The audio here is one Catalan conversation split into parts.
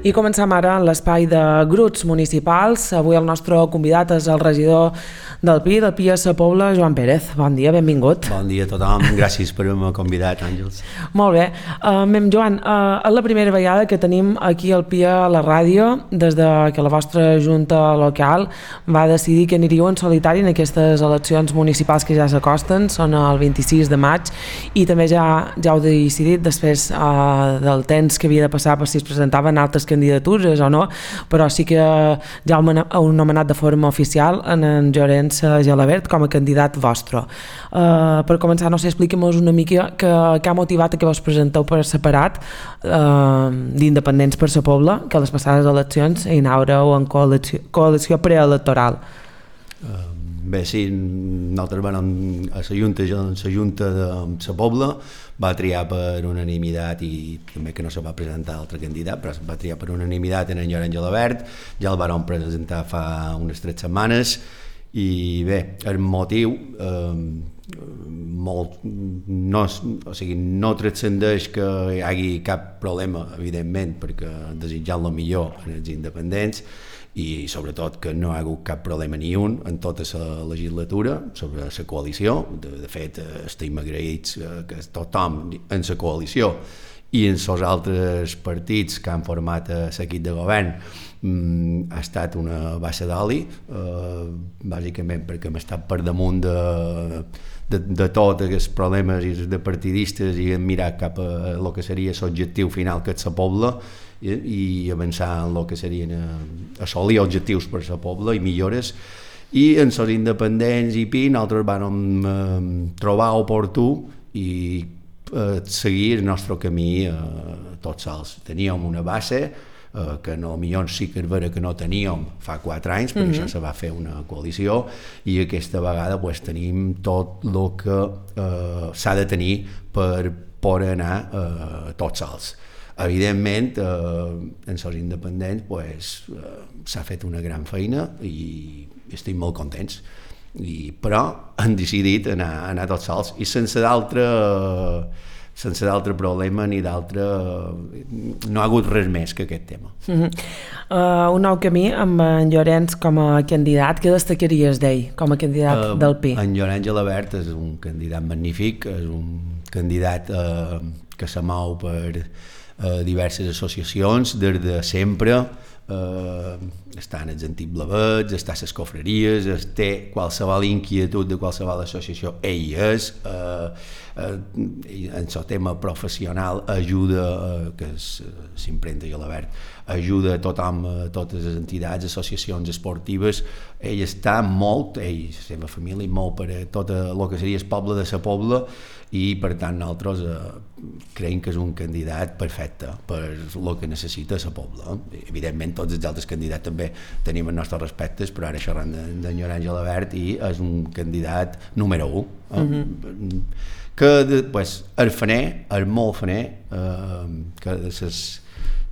I comencem ara en l'espai de grups municipals. Avui el nostre convidat és el regidor del PI a Sa Pobla, Joan Pérez. Bon dia, benvingut. Bon dia a tothom, gràcies per haver-me convidat, Àngels. Molt bé. Joan, és la primera vegada que tenim aquí al PI a la ràdio des de que la vostra junta local va decidir que aniríeu en solitari en aquestes eleccions municipals que ja s'acosten, són el 26 de maig, i també ja heu decidit després del temps que havia de passar per si es presentaven altres candidatures o no, però sí que ja heu nomenat de forma oficial en Llorenç Gelabert com a candidat vostre. Per començar, no sé, expliquem-nos una mica què ha motivat que vos presenteu per separat d'Independents per Sa Pobla, que a les passades eleccions hi anàreu en coalició preelectoral. Bé, sí, nosaltres vam a la Junta de Sa Pobla, va triar per unanimitat, i també que no se va presentar altre candidat, però va triar per unanimitat en Llorenç Gelabert. Ja el vam presentar fa unes 3 setmanes, i bé, el motiu no transcendeix que hi hagi cap problema, evidentment, perquè desitjant el millor als independents, i sobretot que no hi ha hagut cap problema ni un en tota la legislatura sobre la coalició. De fet, estem agraïts que tothom en la coalició i en els altres partits que han format l'equip de govern ha estat una bassa d'oli, bàsicament perquè hem estat per damunt de tots els problemes de partidistes i hem mirat cap a el que seria l'objectiu final, que és Sa Pobla, i avançar en el que serien assolir objectius per Sa Pobla i millores. I en els independents i PI nosaltres vam trobar oportú i seguir el nostre camí tots sols. Teníem una base que potser sí que és vera que no teníem fa 4 anys, per això se va fer una coalició, i aquesta vegada tenim tot el que s'ha de tenir per poder anar tots sols. Evidentment, en els independents s'ha fet una gran feina i estem molt contents, però han decidit anar tots sols i sense d'altre problema ni d'altre... no ha hagut res més que aquest tema. Un nou camí amb en Llorenç com a candidat. Què destacaries d'ell com a candidat del PI? En Llorenç Gelabert és un candidat magnífic, és un candidat que se mou per diverses associacions des de sempre, està en els antics blavets, està a les cofreries, té qualsevol inquietud de qualsevol associació, ell és, en el tema professional ajuda, que és l'impremta Gelabert, ajuda a tothom, a totes les entitats, associacions esportives. Ell està molt, ell, la seva família, molt per a tot el que seria el poble de Sa Pobla, i per tant nosaltres creiem que és un candidat perfecte per el que necessita Sa Pobla. Evidentment tots els altres candidats també tenim els nostres respectes, però ara xerrant d'en Llorenç Gelabert, i és un candidat número 1, que és faner, és molt faner, que és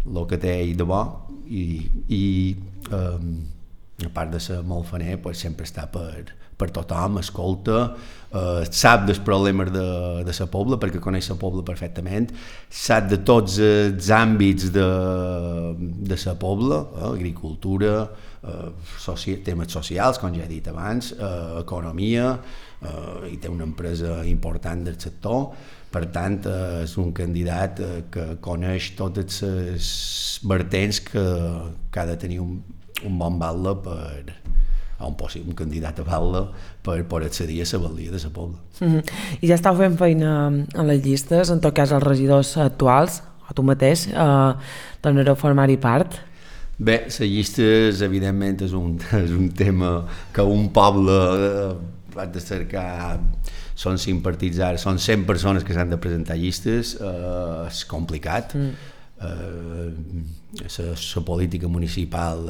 el que té ell de bo, i a part de ser molt faner, sempre està per tothom, escolta, sap dels problemes de Sa Pobla, perquè coneix Sa Pobla perfectament, sap de tots els àmbits de Sa Pobla, agricultura, temes socials, com ja he dit abans, economia, i té una empresa important del sector. Per tant, és un candidat que coneix totes les vertents que ha de tenir un bon batle un candidat a batle per accedir a la batllia de Sa Pobla. I ja estàu fent feina en les llistes, en tot cas els regidors actuals, o tu mateix, tornareu a formar-hi part? Bé, les llistes evidentment és un tema que un poble ha de cercar. Són 5 partits ara, són 100 persones que s'han de presentar llistes, és complicat. La política municipal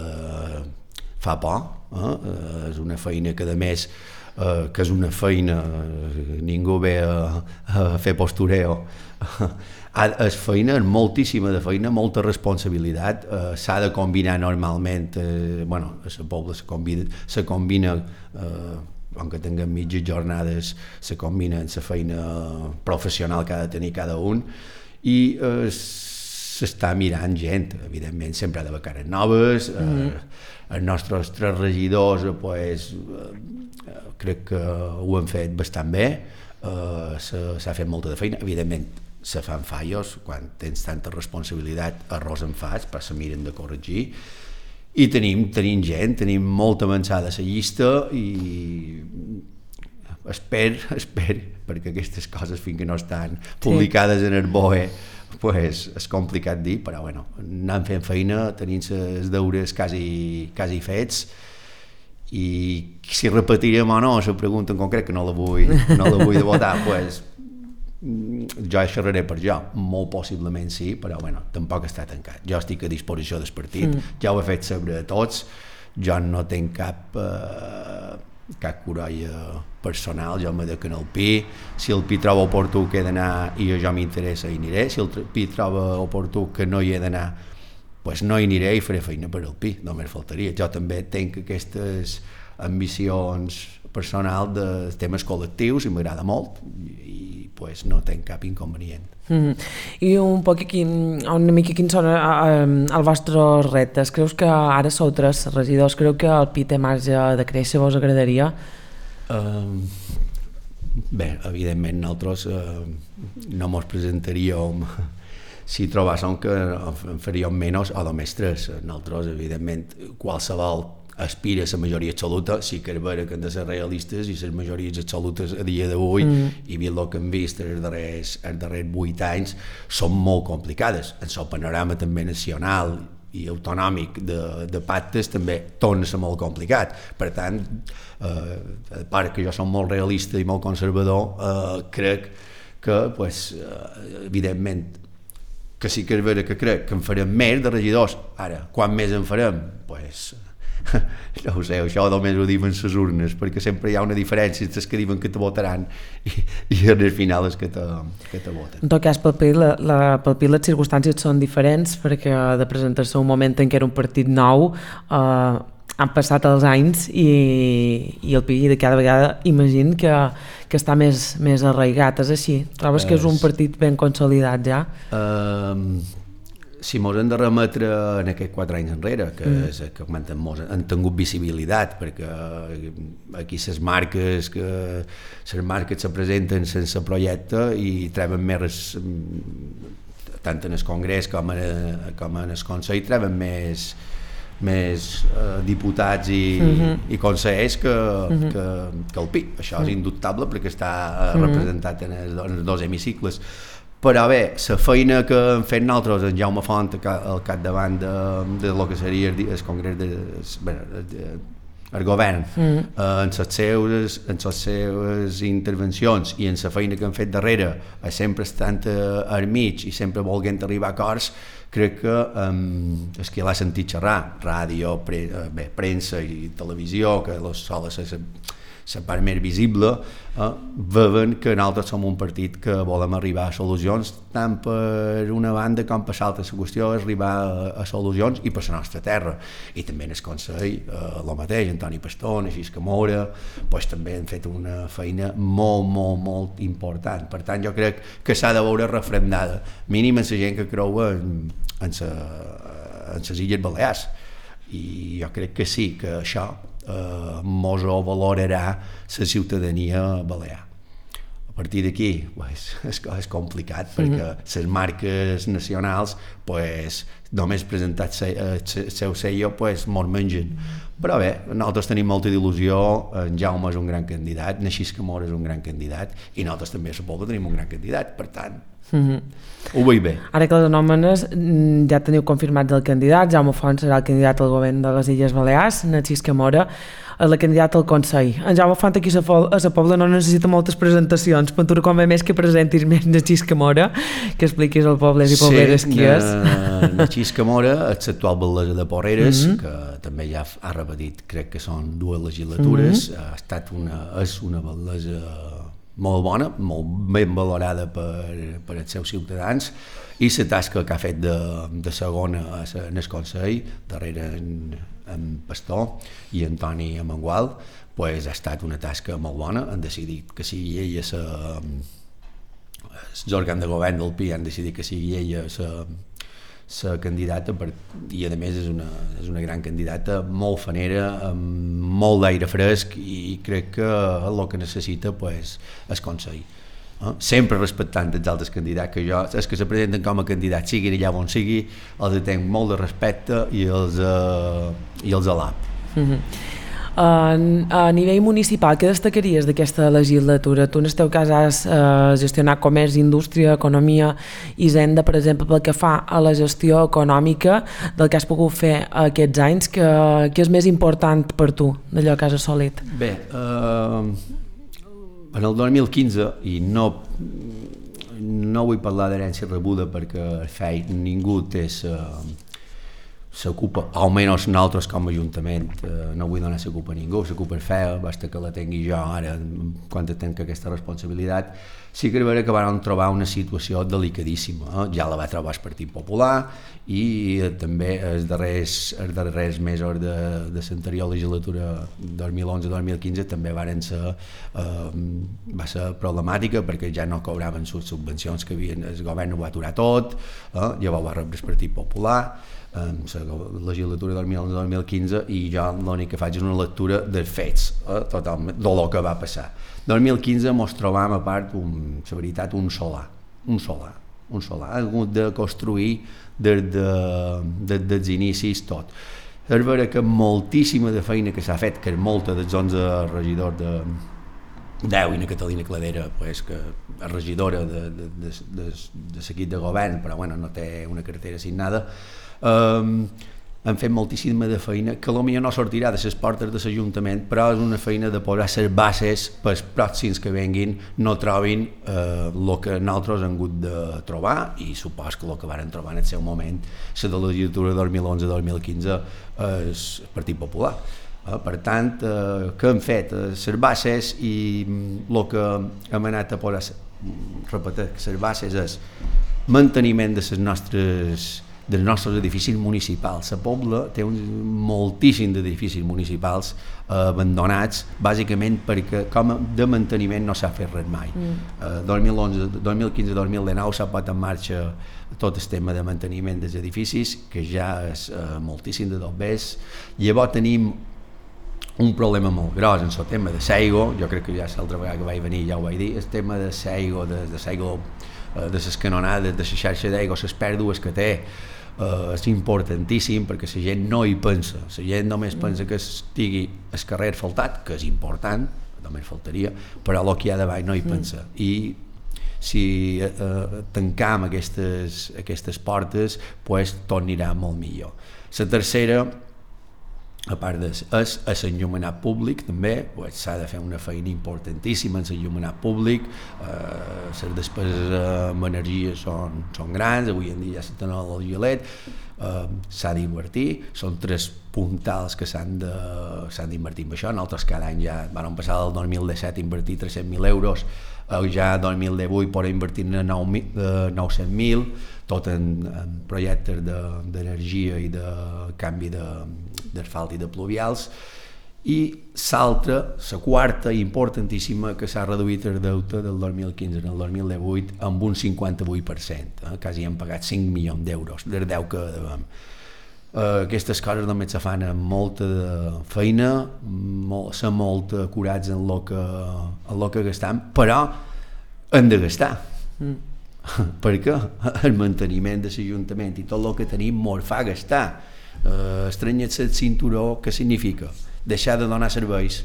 fa por, és una feina que a més que és una feina, ningú ve a fer postureo, és feina, és moltíssima de feina, molta responsabilitat, s'ha de combinar normalment, a Sa Pobla se combina, aunque tinguem mitges jornades, se combina amb la feina professional que ha de tenir cada un, i s'està mirant gent, evidentment sempre ha d'haver cares noves, els nostres 3 regidors pues, crec que ho han fet bastant bé, s'ha fet molta de feina, evidentment se fan fallos, quan tens tanta responsabilitat errors en fas, però se miren de corregir, i tenim gent, tenim molt avançada la llista i espero, perquè aquestes coses fins que no estan publicades en el BOE pues, és complicat dir, però bueno, anem fent feina, tenim els deures quasi fets, i si repetirem o no la pregunta en concret, que no la vull de votar, pues, jo xerraré per jo, molt possiblement sí, però bueno, tampoc està tancat. Jo estic a disposició del partit, ja ho he fet saber a tots, jo no tinc cap corolla personal, jo me dec en el PI, si el PI troba oportú que he d'anar i jo m'interessa hi aniré, si el PI troba oportú que no hi he d'anar, pues no hi aniré i faré feina per al PI, només faltaria. Jo també tinc aquestes ambicions personals de temes col·lectius i m'agrada molt i pues no tinc cap inconvenient. I una mica quins són els vostres reptes? Creus que ara sou 3 regidors, creu que el PI té marge de créixer, vos agradaria? Bé, evidentment nosaltres no mos presentaríem si trobàssim que en faríem menys o només 3. Nosaltres, evidentment, qualsevol aspira a la majoria absoluta, sí que és vera que hem de ser realistes i les majories absolutes a dia d'avui i vist el que hem vist els darrers 8 anys són molt complicades. En el panorama també nacional i autonòmic de pactes també torna a ser molt complicat. Per tant, a part que jo som molt realista i molt conservador, crec que, pues, evidentment, que sí que és vera que crec que en farem més de regidors. Ara, quan més en farem? Pues, no ho sé, això només ho diuen les urnes, perquè sempre hi ha una diferència entre els que diuen que te votaran i en el final els que te voten. En tot cas, pel PI les circumstàncies són diferents, perquè de presentar-se un moment en què era un partit nou, han passat els anys i el PI de cada vegada imagino que està més arraigat, és així? Trobes que és un partit ben consolidat ja? Si mos hem de remetre en aquests 4 anys enrere, que és que han tingut visibilitat, perquè aquí les marques se presenten sense projecte i treuen més, tant en el Congrés com en el Consell, treuen més diputats i consellers que el PI. Això és indubtable perquè està representat en els 2 hemicicles. Però bé, la feina que hem fet nosaltres, en Jaume Font al capdavant de lo que seria el Congrés el govern, en les seves intervencions i en la feina que hem fet darrere, sempre estant al mig i sempre volent arribar a acords, crec que és que l'ha sentit xerrar, ràdio, premsa i televisió, que sol ser la part més visible, veuen que nosaltres som un partit que volem arribar a solucions, tant per una banda com per l'altra. La qüestió és arribar a solucions i per la nostra terra. I també en el Consell, el mateix, Antoni Pastor, Narcís Camora, pues, també han fet una feina molt important. Per tant, jo crec que s'ha de veure refrendada, mínim en la gent que creu en les Illes Balears. I jo crec que sí, que això mos ho valorarà la ciutadania balear. A partir d'aquí és complicat perquè les marques nacionals només presentat el seu sello mos mengen. Però bé, nosaltres tenim molta il·lusió, en Jaume és un gran candidat, Narcís Camora és un gran candidat i nosaltres també a la Pobla tenim un gran candidat, per tant ho veig bé. Ara que les anòmenes ja teniu confirmat el candidat, Jaume Font serà el candidat al govern de les Illes Balears, Narcís Camora és la candidata al Consell. En Jaume Font aquí a la Pobla no necessita moltes presentacions, però tu com a més que presentis més Narcís Camora, que expliquis al pobles i pobleres qui és. Narcís Camora és l'actual batllessa de Porreres, que també ja ha repetit, crec que són 2 legislatures, és una batllessa molt bona, molt ben valorada per els seus ciutadans, i la tasca que ha fet de segona en el Consell, darrere en Pastor i Antoni Amengual, ha estat una tasca molt bona. Han decidit que sigui ella els òrgans de govern del PI han decidit que sigui ella la candidata i a més és una gran candidata, molt fanera, amb molt d'aire fresc, i crec que el que necessita pues, és consell. Sempre respectant els altres candidats, que jo, els que se presenten com a candidats, siguin allà on sigui, els tenc molt de respecte i els alap. A nivell municipal, què destacaries d'aquesta legislatura? Tu en el teu cas has gestionat comerç, indústria, economia i hisenda, per exemple, pel que fa a la gestió econòmica del que has pogut fer aquests anys, què és més important per tu d'allò que has assolit? Bé, en el 2015, i no vull parlar d'herència rebuda perquè ningú té s'ocupa, almenys nosaltres com a Ajuntament, no vull donar la culpa a ningú, la culpa és feia, basta que la tingui jo ara, quan tenc aquesta responsabilitat. Sí que és vera que vam trobar una situació delicadíssima, ja la va trobar el Partit Popular, i també els darrers mesos de l'anterior legislatura 2011-2015 també va ser problemàtica, perquè ja no cobraven les subvencions que havien, el govern ho va aturar tot, llavors va rebre el Partit Popular en la legislatura 2011-2015, i jo l'únic que faig és una lectura dels fets, totalment, del que va passar. 2015 ens trobam, a part, la veritat, un solar. Ha hagut de construir des dels inicis tot. És vera que moltíssima de feina que s'ha fet, que és molta dels 11 regidors de 10, i la Catalina Cladera, pues, que és regidora de l'equip de govern, però bueno, no té una cartera assignada, han fet moltíssima de feina que potser no sortirà de les portes de l'Ajuntament, però és una feina de posar les bases pels pròxims que venguin no trobin el que nosaltres hem hagut de trobar, i supos que el que varen trobar en el seu moment la de la legislatura 2011-2015 és el Partit Popular. Per tant, què hem fet? Les bases, i el que hem anat a posar, repetir, les bases és manteniment dels nostres edificis municipals. La Pobla té moltíssim d'edificis municipals abandonats, bàsicament perquè com de manteniment no s'ha fet res mai. 2015-2019 s'ha posat en marxa tot el tema de manteniment dels edificis, que ja és moltíssim de dobbers. Llavors tenim un problema molt gros en el tema de l'aigua. Jo crec que ja l'altra vegada que vaig venir ja ho vaig dir, el tema de l'aigua, de les canonades, de la xarxa d'aigua, les pèrdues que té, és importantíssim, perquè la gent no hi pensa, la gent només pensa que estigui el carrer asfaltat, que és important, només faltaria, però el que hi ha davall no hi pensa. I si tancam aquestes portes, pues, tot anirà molt millor. La tercera, a part és l'enllumenat públic, també s'ha de fer una feina importantíssima en l'enllumenat públic. Les despeses en energia són grans, avui en dia ja se tenen el gelet, s'ha d'invertir, són 3 puntals que s'han d'invertir en això. Nosaltres cada any ja vam passar del 2017 a invertir 300.000 euros, ja el 2018 podem invertir 900.000, tot en projectes d'energia i de canvi d'asfalt i de pluvials. I l'altra, la quarta importantíssima, que s'ha reduït el deute del 2015 en el 2018 amb un 58%, quasi hem pagat 5 milions d'euros del deute que devem. Aquestes coses només se fan amb molta feina, ser molt acurats en el que gastem, però hem de gastar. Perquè el manteniment de l'Ajuntament i tot el que tenim ens fa gastar. Estrenyar-se el cinturó, què significa? Deixar de donar serveis.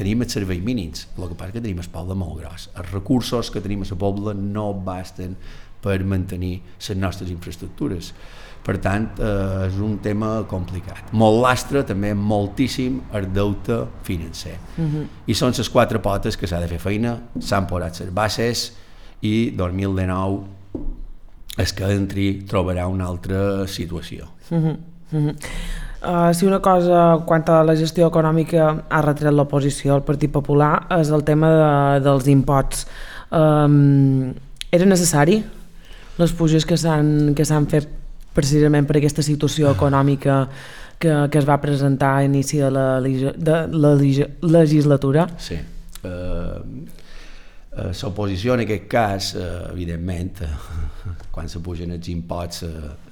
Tenim els serveis mínims, el que passa que tenim el poble molt gros. Els recursos que tenim a la Pobla no basten per mantenir les nostres infraestructures. Per tant, és un tema complicat. Molt lastre, també moltíssim, el deute financer. I són les 4 potes que s'ha de fer feina, s'han posat les bases, i 2019 és que entri trobarà una altra situació. Si una cosa, quant a la gestió econòmica, ha retret l'oposició al Partit Popular, és el tema dels imposts. Era necessari les puges que s'han fet precisament per aquesta situació econòmica que es va presentar a inici de la legislatura? Sí. L'oposició en aquest cas, evidentment, quan se pugen els imposts,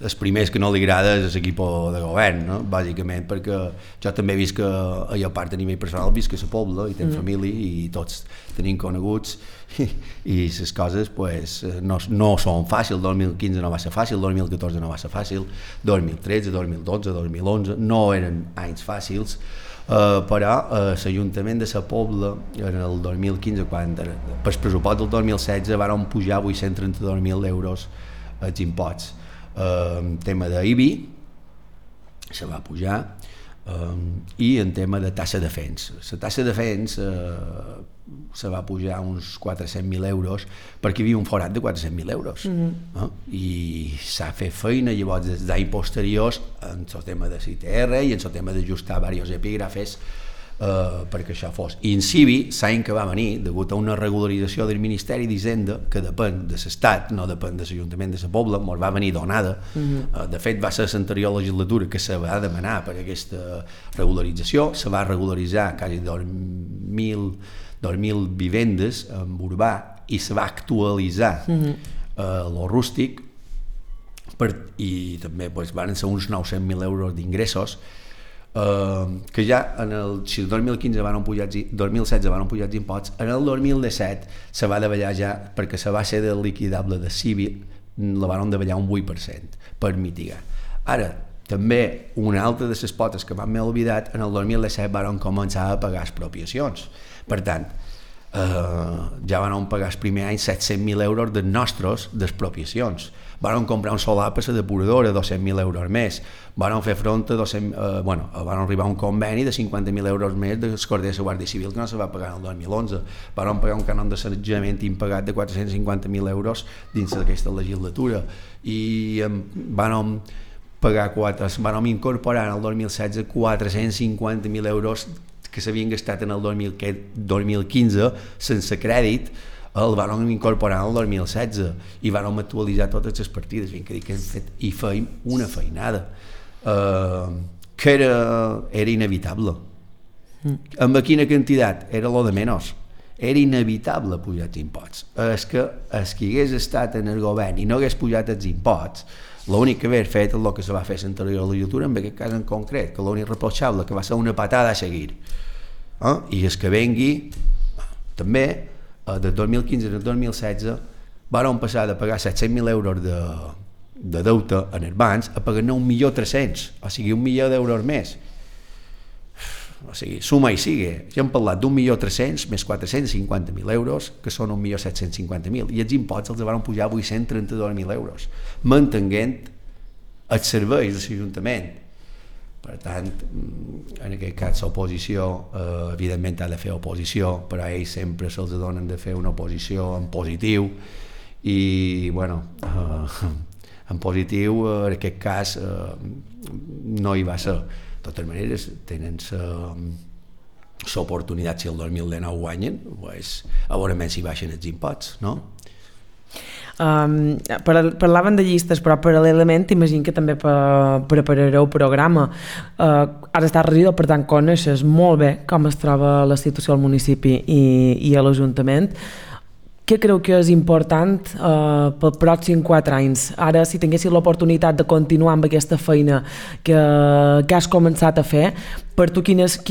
els primers que no li agrada és l'equip de govern, no? Bàsicament perquè jo també he vist que a part a nivell personal visc a la Pobla i tenc família i tots tenim coneguts i les coses pues, no són fàcils. 2015 no va ser fàcil, 2014 no va ser fàcil, 2013, 2012, 2011 no eren anys fàcils. Però l'Ajuntament de la Pobla en el 2015, quan per el pressupost del 2016 van pujar 832.000 euros els imposts. En tema d'IBI se va pujar i en tema de tassa de FENS. La tassa de FENS se va pujar uns 400.000 euros perquè hi havia un forat de 400.000 euros. I s'ha fet feina llavors des d'anys posteriors en el tema de CTR i en el tema d'ajustar diversos epígrafes perquè això fos. I en CIVI, l'any que va venir, degut a una regularització del Ministeri d'Hisenda, que depèn de l'Estat, no depèn de l'Ajuntament de la Pobla, ens va venir donada. De fet, va ser l'anterior legislatura que se va demanar per aquesta regularització, se va regularitzar quasi 2.000 vivendes en urbà i se va actualitzar lo rústic i també van ser uns 900.000 euros d'ingressos que ja si el 2015 van pujar 2016 van pujar els imposts, en el 2017 se va davallar ja, perquè la base del liquidable de civil la van davallar un 8% per mitigar. Ara, també una altra de les potes que m'he oblidat, en el 2017 van començar a pagar expropiacions. Per tant, ja van pagar el primer any 700.000 euros dels nostres d'expropiacions. Van comprar un solar per la depuradora, 200.000 euros més. Van fer front a van arribar a un conveni de 50.000 euros més dels corders de la Guàrdia Civil que no se va pagar en el 2011. Van pagar un cànon de sanejament impagat de 450.000 euros dins d'aquesta legislatura i van incorporar en el 2016 450.000 euros que s'havien gastat en el 2015 sense crèdit, el van incorporar en el 2016 i van actualitzar totes les partides. I feim una feinada que era inevitable. Amb quina quantitat? Era lo de menys. Era inevitable pujar els imposts. És que qui hagués estat en el govern i no hagués pujat els imposts, l'únic que hagués fet és el que se va fer a l'anterior legislatura, en aquest cas en concret, que l'únic reprochable, que va ser una patada a seguir. I és que vengui, també, del 2015 al 2016, van passar de pagar 700.000 euros de deute en els bancs a pagar 9.300.000, o sigui, 1 milió d'euros més. O sigui, suma i sigue. Ja hem parlat d'1.300.000 més 450.000 euros, que són 1.750.000, i els imposts els van pujar 832.000 euros, mantenint els serveis de l'Ajuntament. Per tant, en aquest cas l'oposició evidentment ha de fer oposició, però a ells sempre se'ls donen de fer una oposició en positiu i en positiu en aquest cas no hi va ser. De totes maneres tenen l'oportunitat, si el 2019 guanyen, a veure si baixen els imposts, no? Parlaven de llistes, però paral·lelament imagino que també preparareu programa. Ara estàs regidor, per tant coneixes molt bé com es troba la situació al municipi i a l'Ajuntament. Què creu que és important pel pròxim 4 anys? Ara, si tinguessis l'oportunitat de continuar amb aquesta feina que has començat a fer, per tu quins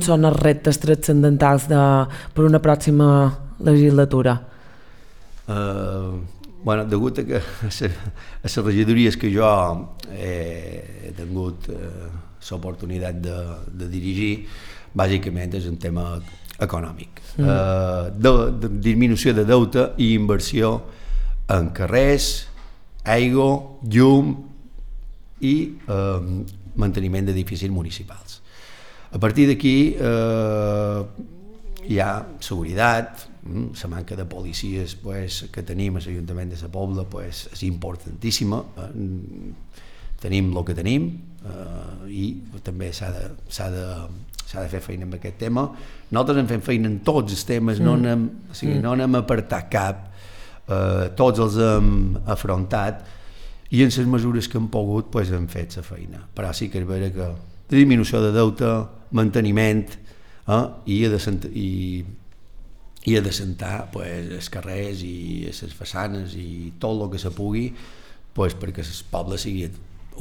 són els reptes transcendentals per una pròxima legislatura? Degut a que a les regidories que jo he tingut l'oportunitat de dirigir, bàsicament és un tema econòmic, de disminució de deute i inversió en carrers, aigua, llum i manteniment d'edificis municipals. A partir d'aquí hi ha seguretat, la manca de policies que tenim a l'Ajuntament de la Pobla és importantíssima, tenim el que tenim i també s'ha de fer feina amb aquest tema. Nosaltres hem fet feina en tots els temes, no n'hem apartat cap, tots els hem afrontat i en les mesures que hem pogut hem fet la feina, però sí que és vera que disminució de deute, manteniment i ha d'assentar els carrers i les façanes i tot el que se pugui perquè el poble sigui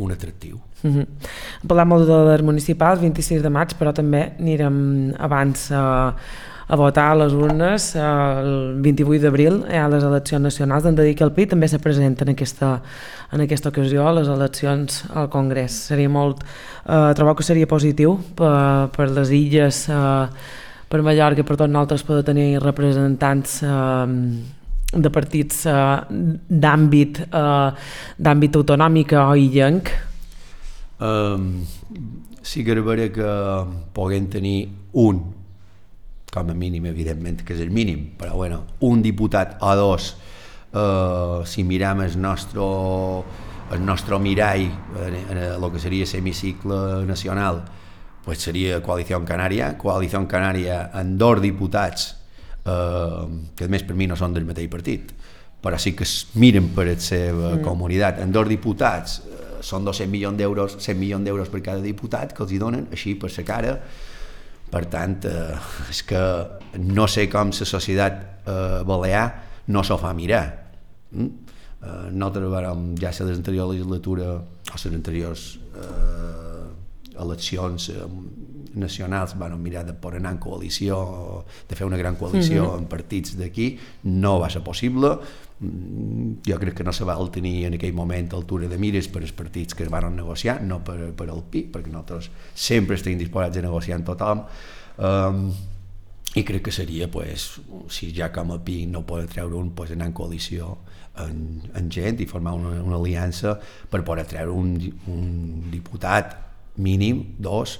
un atractiu. Parlem molt de les municipals, 26 de maig, però també anirem abans a votar a les urnes. El 28 d'abril hi ha les eleccions nacionals. Hem de dir que el PRI també se presenta en aquesta ocasió a les eleccions al Congrés. Seria trobo que seria positiu per les illes, per Mallorca, per tots nosaltres, poder tenir representants de partits d'àmbit autonòmic o illenc. Sí que era que puguem tenir com a mínim, evidentment que és el mínim, però bueno, un diputat o dos, si miram el nostre mirall en el que seria l'hemicicle nacional, pues seria Coalició Canària amb 2 diputats que a més per mi no són del mateix partit, però sí que es miren per la seva comunitat, amb 2 diputats són 200 milions d'euros, 100 milions d'euros per cada diputat que els hi donen així per la cara. Per tant, és que no sé com la societat balear no s'ho fa mirar. Nosaltres vàrem, ja a l'anterior legislatura o les anteriors eleccions nacionals van mirar de poder anar en coalició, de fer una gran coalició amb partits d'aquí, no va ser possible. Jo crec que no se va tenir en aquell moment altura de mires per als partits que es van negociar, no per al PI, perquè nosaltres sempre estem disposats a negociar amb tothom, i crec que seria, si ja com a PI no poden treure un, anar en coalició amb gent i formar una aliança per poder treure un diputat mínim, 2.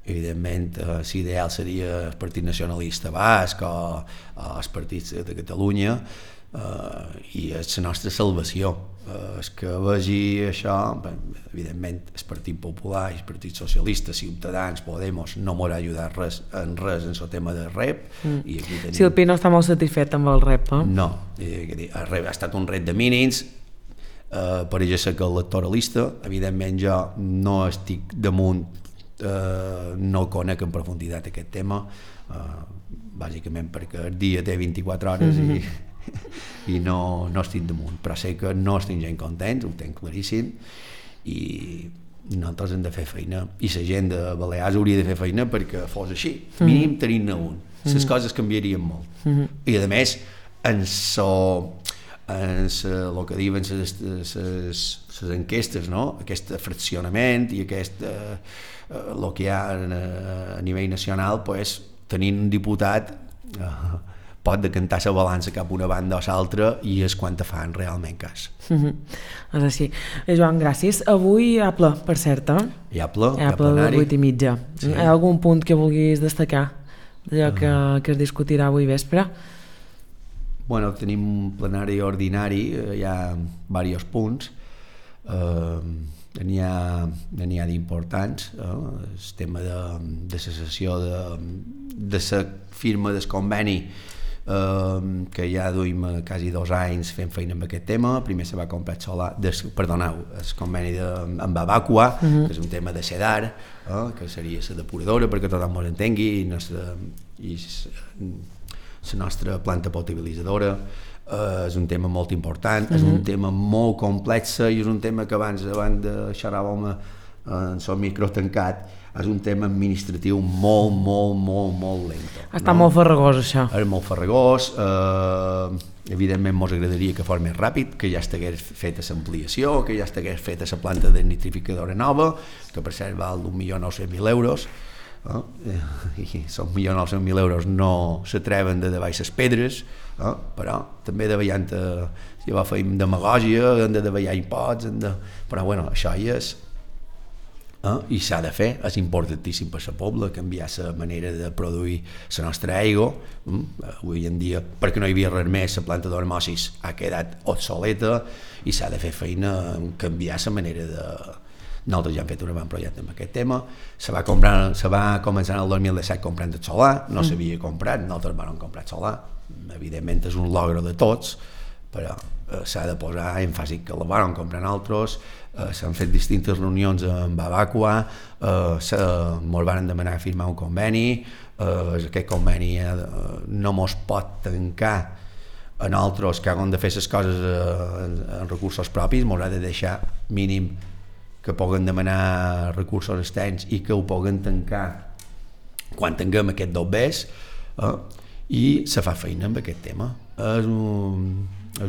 Evidentment, l'ideal seria el Partit Nacionalista Basc o els partits de Catalunya, i és la nostra salvació. És que vegi això, evidentment el Partit Popular, el Partit Socialista, Ciutadans, Podemos no m'haurà ajudat en el tema del REP. I aquí tenim... Si el PI no està molt satisfet amb el REP, No, el REP ha estat un REP de mínims, per això ser que electoralista, evidentment jo no estic damunt, no conec en profunditat aquest tema, bàsicament perquè el dia té 24 hores i no estic damunt, però sé que no estic gens contents, ho tenc claríssim, i nosaltres hem de fer feina, i la gent de Balears hauria de fer feina perquè fos així, mínim tenir-ne un. Les coses canviarien molt, i a més el que diuen les enquestes, no? Aquest fraccionament i el que hi ha a nivell nacional, tenint un diputat pot decantar la balança cap una banda o l'altra, i és quan te fan realment cas. És així. Joan, gràcies. Avui hi ha ple, per cert, hi ha ple, de 8:30. Sí. Hi ha algun punt que vulguis destacar d'allò que es discutirà avui vespre? Bueno, tenim un plenari ordinari, hi ha diversos punts, n'hi ha d'importants, el tema de la cessació de la firma del conveni, que ja duim quasi 2 anys fent feina amb aquest tema. Primer se va comprar el conveni amb Babacua, que és un tema de SEDAR, que seria la depuradora, perquè tothom ens entengui, i la nostra planta potabilitzadora. És un tema molt important, és un tema molt complex, i és un tema que abans de xerràvem en el micro tancat, és un tema administratiu molt lent. Està molt farragós, això. És molt farragós, evidentment ens agradaria que fos més ràpid, que ja estigués feta l'ampliació, que ja estigués feta la planta de nitrificadora nova, que per cert val d'1.900.000 euros, i són 1.900.000 euros no s'atreven de davall les pedres, però també si va fer demagògia, hem de davallar imposts, però bueno, això hi és, i s'ha de fer, és importantíssim per la poble, canviar la manera de produir la nostra aigua. Avui en dia, perquè no hi havia res més, la planta d'osmosis ha quedat obsoleta, i s'ha de fer feina en canviar la manera de... Nosaltres ja hem fet un bon projecte amb aquest tema. Se va començar en el 2017 comprant el solar, no s'havia comprat, nosaltres vam comprar el solar, evidentment és un logro de tots, però s'ha de posar èmfasi que la vam comprar nosaltres. S'han fet distintes reunions amb Babacua, ens van demanar firmar un conveni, aquest conveni no mos pot tancar a nosaltres que hem de fer les coses en recursos propis, mos ha de deixar mínim que puguen demanar recursos externs i que ho puguen tancar quan tinguem aquest dobbers, i se fa feina amb aquest tema. És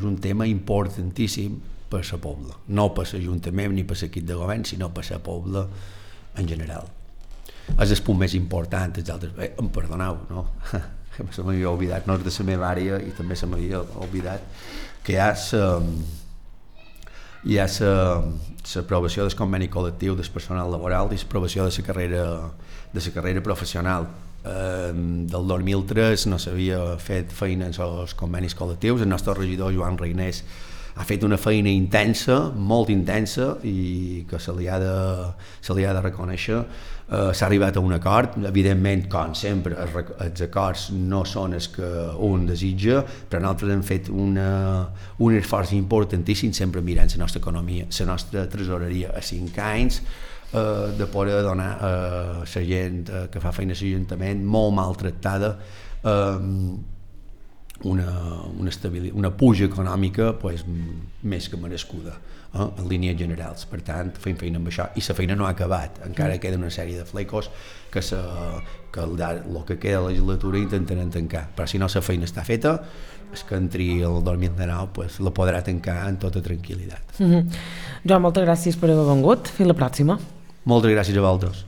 un tema importantíssim per la pobla, no per l'Ajuntament ni per l'equip de govern, sinó per la pobla en general. És el punt més important. Els altres, em perdoneu, no? Se m'havia oblidat, no és de la meva àrea i també se m'havia oblidat que hi ha l'aprovació del conveni col·lectiu del personal laboral i l'aprovació de la carrera professional. Del 2003 no s'havia fet feina en els convenis col·lectius. El nostre regidor Joan Reinés ha fet una feina intensa, molt intensa, i que se li ha de reconèixer. S'ha arribat a un acord, evidentment, com sempre, els acords no són els que un desitja, però nosaltres hem fet un esforç importantíssim, sempre mirant la nostra economia, la nostra tresoreria a 5 anys, de poder donar a la gent que fa feina a l'Ajuntament molt maltractada una puja econòmica més que merescuda, en línies generals. Per tant, fem feina amb això, i la feina no ha acabat, encara queda una sèrie de flecos que el que queda de la legislatura intentarem tancar, però si no la feina està feta, és que entri el 2019 la podrà tancar amb tota tranquil·litat. Joan, moltes gràcies per haver vengut. Fins la pròxima. Moltes gràcies a vosaltres.